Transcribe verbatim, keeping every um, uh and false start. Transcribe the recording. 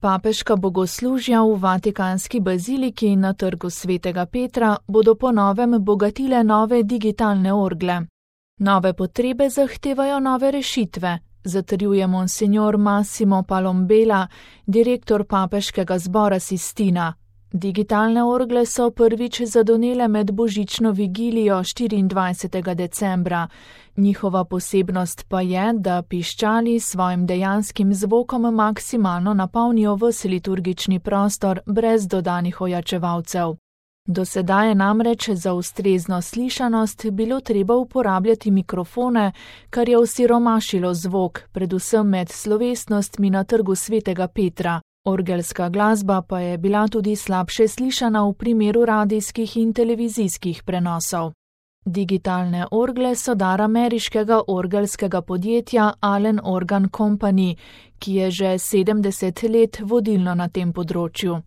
Papeška bogoslužja v Vatikanski baziliki na trgu svetega Petra bodo po novem bogatile nove digitalne orgle. Nove potrebe zahtevajo nove rešitve, zatrjuje monsignor Massimo Palombela, direktor Papeškega zbora Sistina. Digitalne orgle so prvič zadonele med božično vigilijo štiriindvajsetega decembra. Njihova posebnost pa je, da piščali s svojim dejanskim zvokom maksimalno napolnijo ves liturgični prostor brez dodanih ojačevalcev. Do sedaj je namreč za ustrezno slišanost bilo treba uporabljati mikrofone, kar je osiromašilo zvok, predvsem med slovesnostmi na trgu svetega Petra. Orgelska glasba pa je bila tudi slabše slišana v primeru radijskih in televizijskih prenosov. Digitalne orgle so dar ameriškega orgelskega podjetja Allen Organ Company, ki je že sedemdeset let vodilno na tem področju.